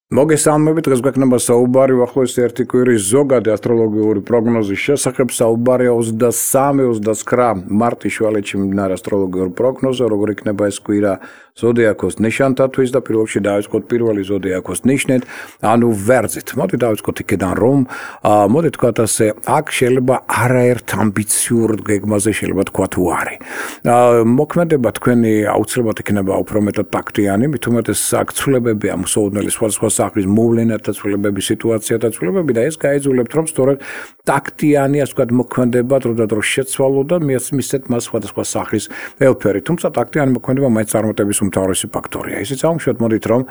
მოგესალმებით, დღეს გვექნება საუბარი ახლოს ერთი კვირის ზოგადი ასტროლოგიური პროგნოზის შესახებ. საუბარია 23-29 მარტის შუალედში მიმდინარე ასტროლოგიური პროგნოზე, როგორ იქნება ეს კვირა ზოდიაქოს ნიშანთათვის და პირველში დავიწყოთ პირველი ზოდიაქოს ნიშნით, ანუ ვერძით. მოდი დავიწყოთ იქიდან, რომ მოდი თქვათ ასე, აქ შეიძლება არაერთ ამბიციურ გეგმაზე შეიძლება თქვა თუ არის. მოქმედება თქვენი აუცილებლად იქნება უფრო მეტად ტაქტიანი, მით უმეტეს აქ ცვლილებებია მოსაოდნელი სხვადასხვა სახის მოვლენათა ცვლილებების, სიტუაციათა ცვლილებები და ეს გაიძულებთ, რომ სწორედ ტაქტიანი, ასე ვთქვათ, მოქმედება დროდადრო შეცვალო და მისცეთ მას სხვადასხვა სახის ელფერი. თუმცა ტაქტიანი მოქმედება მაინც წარმატების უმთავრესი ფაქტორია. ისიც აუშვათ მოდით, რომ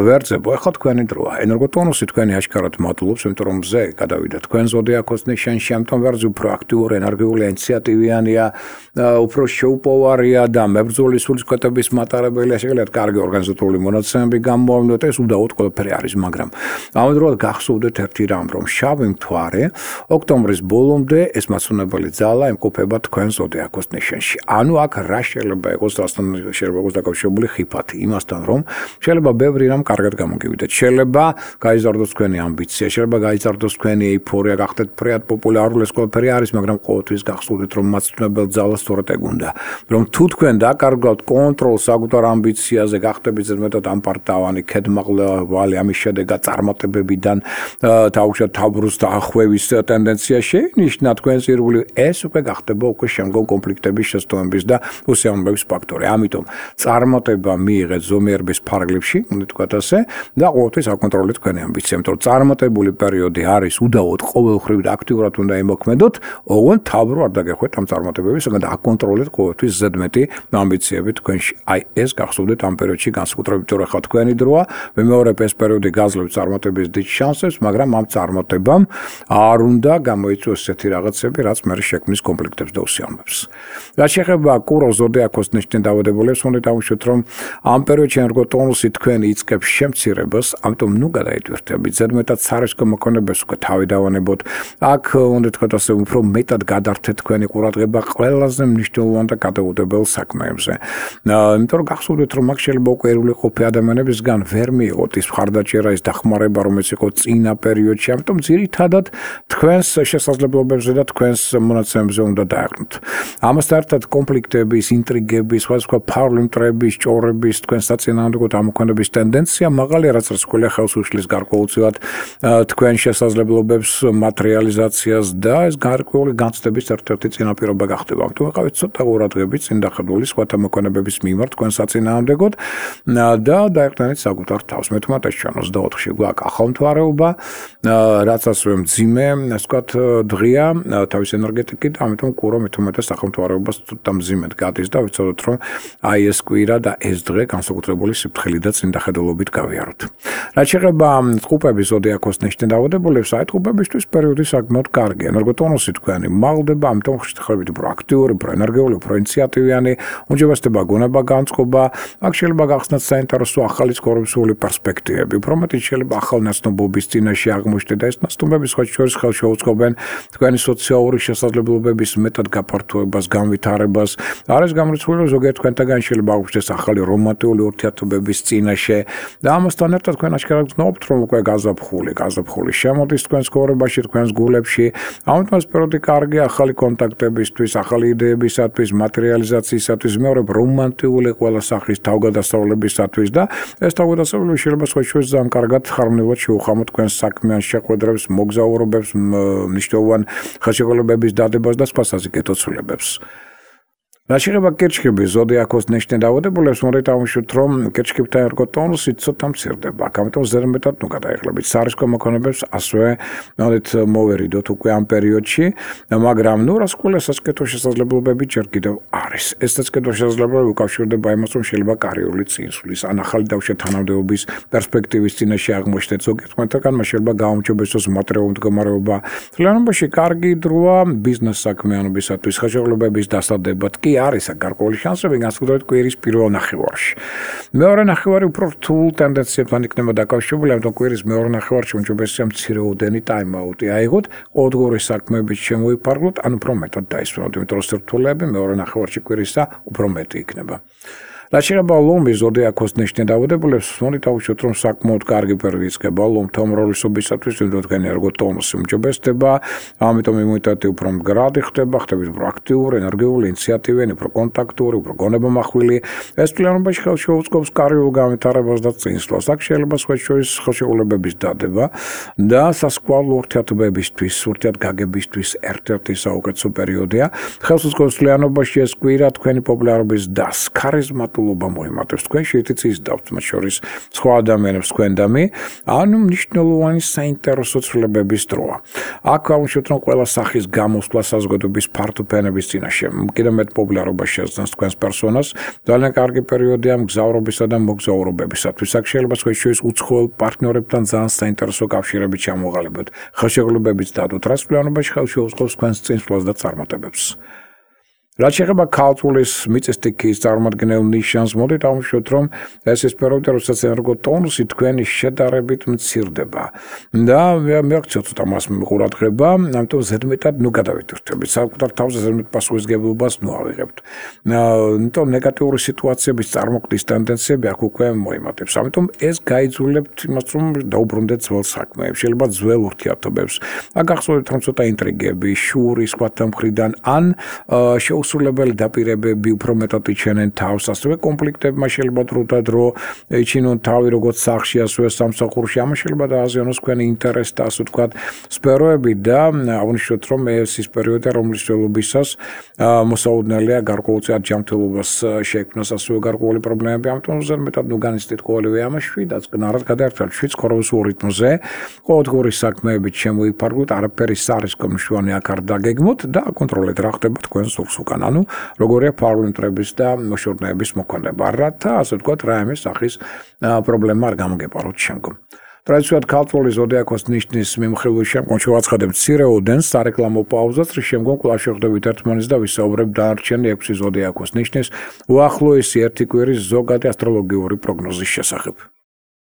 ვერძებო, ახლა თქვენი დროა. ენერგოტონუსი თქვენი აშკარად მატულობს, იმიტომ რომ მზე გადავიდა თქვენ ზოდიაქოს ნიშანში, ამიტომ ვერძი უფრო აქტიური, ენერგიული, ინიციატივიანია, უფრო შეუპოვარია და მებრძოლი სულისკვეთების მატარებელია, შეგიძლიათ კარგი ორგანიზატორული მონაცემები გამოავლინოთ, ეს უდაოდ ყველაფერი არის, მაგრამ ამავდროულად გახსოვდეთ ერთი რამ, რომ შავი მთვარე ოქტომბრის ბოლომდე ეს მაცუნებელი ძალა იმყოფება თქვენ ზოდიაქოს ნიშანში. ანუ აქ რა შეიძლება იყოს, რასთან შეიძლება იყოს დაკავშირებული ხიფათი, იმასთან რომ შეიძლება ბევრი რამ კარგად გამოგივიდეთ. შეიძლება გაიზარდოს თქვენი ამბიცია, შეიძლება გაიზარდოს თქვენი ეიფორია, გახდეთ ფრიად პოპულარული, ეს ყველაფერი არის, მაგრამ ყოველთვის გახსოვდეთ, რომ მაცუნებელ ძალას სწორედ ეგ უნდა. რომ თუ თქვენ დაკარგავთ კონტროლს საკუთარ ამბიციაზე, გახდებით ზედმეტად ამპარტავანი, ქედმაღლევალი, ამის შედეგად წარმატებებიდან თავშად თაბრუს დაახვევის ტენდენცია შეინიშნა თქვენს ირგვლივ, ეს უკვე გახდება უკვე შემდგომ კონფლიქტების შესტოების და უსიამოვნების ფაქტორი. ამიტომ წარმატება მიიღეთ ზომიერების ფარგლებში, უნდა თქვათ ასე, და ყოველთვის აკონტროლეთ თქვენი ამბიცია, იმიტომ რომ წარმატებული პერიოდი არის უდაოდ ყოველხრივ და აქტიურად უნდა იმოქმედოთ, ოღონდ თავრო არ დაგეხვეთ ამ წარმატებების, მაგრამ აკონტროლეთ ყოველთვის ზედმეტი ამბიციები თქვენში. აი ეს გახსოვდეთ ამ პერიოდში განსაკუთრებით, რომ ახლა თქვენი დროა, ვიმეორებ ეს პერიოდი გაძლევთ წარმატების დიდ შანსებს, მაგრამ ამ წარმატებამ არ უნდა გამოიწვიოს ესეთი რაღაცები, რაც მერე შექმნის კონფლიქტებს და უსიამოვნებს. რაც შეეხება კუროს ზოდიაქოს ნიშნით დავადებულებს, უნდა დავუშვათ, რომ ამ პერიოდში ენერგოტონუსი თქვენი იწყებს შემცირებას, ამიტომ ნუ გადაიტვირთებით, ზედმეტად სარისკო მოქმედებას უკვე თავი დავანებოთ. აქ უნდა თქვათ ასე, უფრო მეტად გადართეთ თქვენი ყურადღება ყველაზე მნიშვნელოვან და გადაუდებელ საქმეებზე. იმიტომ რომ გახსოვდეთ, რომ აქ შეიძლება უკვე ერული ყოფი ადამიანებისგან ვერ მიიღოთ ის მხარდაჭერა, ის დახმარება, რომელიც იყო წინა პერიოდში, ამიტომ ძირითადად თქვენს შესაძლებლობებზე და თქვენს მონაცემებზე უნდა დაეღნოთ. ამასთან ერთად კონფლიქტების, ინტრიგების, სხვადასხვა ფაული მტრების, ჭორების, თქვენს საწინააღმდეგო ამოქმედების ტენდენცია მაღალია, რაც რასკვლელი ხელს უშლის გარკვეულწილად თქვენ შესაძლებლობებს, მატერიალიზაციას და ეს გარკვეული განცდების ერთ-ერთი წინაპირობა გახდება. ამიტომ ვიყავით ცოტა ყურადღებით წინ დახედული სხვათა მოქმედებების მიმართ თქვენ საწინააღმდეგოდ და დაეყრდნით საკუთარ თავს. მე თუმცა ჩვენ 24-ში გვაქვს ახალმთვარეობა, რაც ასევე მძიმე, ასე ვთქვათ, დღეა თავის ენერგეტიკით, ამიტომ კურო მე თუმცა ახალმთვარეობას ცოტა მძიმედ გადის და ვიცოდოთ, რომ აი ეს კვირა და ეს დღე განსაკუთრებული სიფრთხილით და წინ დახედულობით გავიაროთ. რაც შეეხება ტყუპების ზოდიაქოს ნიშნით დავადებულებს, აი ტყუპებისთვის პერიოდი საკმაოდ კარგია. ენერგოტონუსი თქვენი მაღლდება, ამიტომ ხშირად უფრო აქტიური, უფრო ენერგიული, უფრო ინიციატივიანი, უმჯობესდება გონება განწყობა, აქ შეიძლება გახსნათ საინტერესო ახალი ცხოვრებისეული პერსპექტივები. უფრო მეტი შეიძლება ახალ ნაცნობობის წინაშე აღმოჩნდეთ და ეს ნაცნობები სხვა შორის ხელს შეუწყობენ თქვენი სოციალური შესაძლებლობების მეტად გაფართოებას, განვითარებას. არის გამორიცხული, რომ ზოგიერთ თქვენთაგან შეიძლება აღმოჩნდეს ახალი რომანტიკული ურთიერთობების წინაშე და ამასთან ერთად თქვენ აშკარად გრძნობთ, რომ უკვე გაზაფხული შემოდის თქვენს ცხოვრებაში, თქვენს გულებში. ამიტომ ეს პერიოდი კარგია ახალი კონტაქტებისთვის, ახალი იდეებისათვის, მატერიალიზაციისათვის, მეორე რომანტიკული ყველა სახის თავგადასავლებისათვის და ეს თავგადასავლები შეიძლება სხვა შორის ძალიან კარგად ხარმონიულად შეუხამოთ თქვენს საქმიან შეხვედრებს, მოგზაურობებს, მნიშვნელოვან ხელშეკრულებების დადებას და სხვა საზოგადო ცვლილებებს. რაც შეეხება კერჩხების ზოდიაქოს ნიშნით დავადებულებს, უნდა დავუშვათ, რომ კერჩხებთან ენერგოტონუსი ცოტა მცირდება. ამიტომ ზედმეტად ნუ გადაეხლებით სარისკო მოქმედებებს, ასევე მოვერიდოთ უკვე ამ პერიოდში, მაგრამ ნუ რასკვლელი სასკეთო შესაძლებლობები ჯერ კიდევ არის. ეს სასკეთო შესაძლებლობები უკავშირდება იმას, რომ შეიძლება კარიერული წინსვლის, ან ახალი თავშეთანამდებობის პერსპექტივის წინაშე აღმოჩნდეთ. ზოგიერთ თქვენთაგან შეიძლება გაუმჯობესოს მატერიალური მდგომარეობა. მთლიანობაში კარგი დროა ბიზნეს საქმიანობისათვის, ხელშეკრულებების დასადებად კი არის გარკვეული შანსები განსაკუთრებით კვირის პირველ ნახევარში. მეორე ნახევარი უფრო რთულ ტენდენციებთან იქნება დაკავშირებული, ამიტომ კვირის მეორე ნახევარში უმჯობესია მცირეოდენი ტაიმ-აუტი აიღოთ, ყოველდღიური საქმეებით შემოიფარგლოთ, ან უფრო მეტად დაისვენოთ, იმიტომ რომ სირთულეები მეორე ნახევარში კვირისა უფრო მეტი იქნება. რაც შეეხება ლომის ზოდიაქოს ნიშნით დაავადებულებს, მოდით ავუშვათ, რომ საკმაოდ კარგი პერიოდი იწყება ლომთა უმრავლესობისათვის, ვინმე თქვენი ერგოტონუსი უმჯობესდება, ამიტომ იმუნიტეტი უფრო მდგრადი ხდება, ხდებით უფრო აქტიური, ენერგიული, ინიციატივიანი, უფრო კონტაქტური, უფრო გონებამახვილი. ეს თვლიანობაში ხელს შეუწყობს კარიულ განვითარებას და წინსვლას. აქ შეიძლება სხვა შორის ხელშეუხლებების დადება და სასკვალო ურთიერთობებისთვის, ურთიერთგაგებისთვის ერთ-ერთი საუკეთესო პერიოდია. ხელს უწყობს თვლიანობაში ეს კვირა თქვენი პოპულარობის დას, ქარიზმატულობა მოიმატებს თქვენ შეიტიც ისდავთ მათ შორის სხვა ადამიანებს თქვენდამი, ანუ მნიშვნელოვანი საინტერესო ცვლილებების დროა. აქ აუშვათ, რომ ყველა სახის გამოსვლა საზოგადოების ფართო ფენების წინაშე კიდევ მეტ პოპულარობას შეძლებს თქვენს პერსონას. ძალიან კარგი პერიოდია მგზავრობისა და მოგზაურობებისათვის. აქ შეიძლება თქვენ შორის უცხოელ პარტნიორებთან ძალიან საინტერესო კავშირები ჩამოყალიბოთ. ხელშეკრულებებიც დადოთ, რაც თვლიანობაში ხელს შეუწყობს თქვენს წინსვლას და წარმატებებს. რაც შეეხება ქალწულის მიწისტიქის წარმომადგენელ ნიშანს, მოდით ავუშვათ, რომ ეს ის პერიოდი, როდესაც ენერგოტონუსი თქვენი შედარებით მცირდება და მეაქციოთ ცოტა მას ყურადღება, ამიტომ ზედმეტად გადავიტვირთებით, საკუთარ თავზე ზედმეტ პასუხისმგებლობას ავიღებთ. იმიტომ ნეგატიური სიტუაციების წარმოქმნის ტენდენციები აქ უკვე მოიმატებს. ამიტომ ეს გაიძულებთ იმას, რომ დაუბრუნდეთ ძველ საქმეებს, შეიძლება ძველ ურთიერთობებს. აქ გახსოვდეთ, რომ ცოტა ინტრიგები, შური სხვათა მხრიდან ან შეუსრულებელი დაპირებები უფრო მეტად იჩენენ თავს, ასევე კონფლიქტებმა შეიძლება დრო და დრო იჩინონ თავი როგორც სახლში, ასევე სამსახურში. ამას შეიძლება დააზიანოს თქვენი ინტერესი და ასე ვთქვათ, სფეროები და აღნიშნოთ, რომ ეს ის პერიოდია, რომლის ველობისას მოსაუდნელია გარკვეულწილად ჯანმრთელობას შექმნას, ასევე გარკვეული პრობლემები. ამიტომ ზედმეტად განიცდით ყოველივე ამაში და წყნარად გადაერთვათ ცხოვრების რიტმზე. ყოველდღიური საქმეებით შემოიფარგლოთ, არაფერი სარისკო მნიშვნელოვანი აქ არ დაგეგმოთ და აკონტროლეთ რა ხდება თქვენ სულს უკან. ანუ როგორია პარლამენტების და მოშორნეების მოქმედება, რათა ასე ვთქვათ, რაიმე სახის პრობლემა არ გამოგეპაროთ შემდგომ. ტრადიციულად ქალწულის ზოდიაქოს ნიშნის მიმოხილვის შემდგომ შევაცხადებთ მცირე ოდენს სარეკლამო პაუზას, რის შემდგომ კვლავ შევხვდებით ერთმანეთს და ვისაუბრებთ დანარჩენი 6 ზოდიაქოს ნიშნის უახლოესი ერთი კვირის ზოგადი ასტროლოგიური პროგნოზის შესახებ.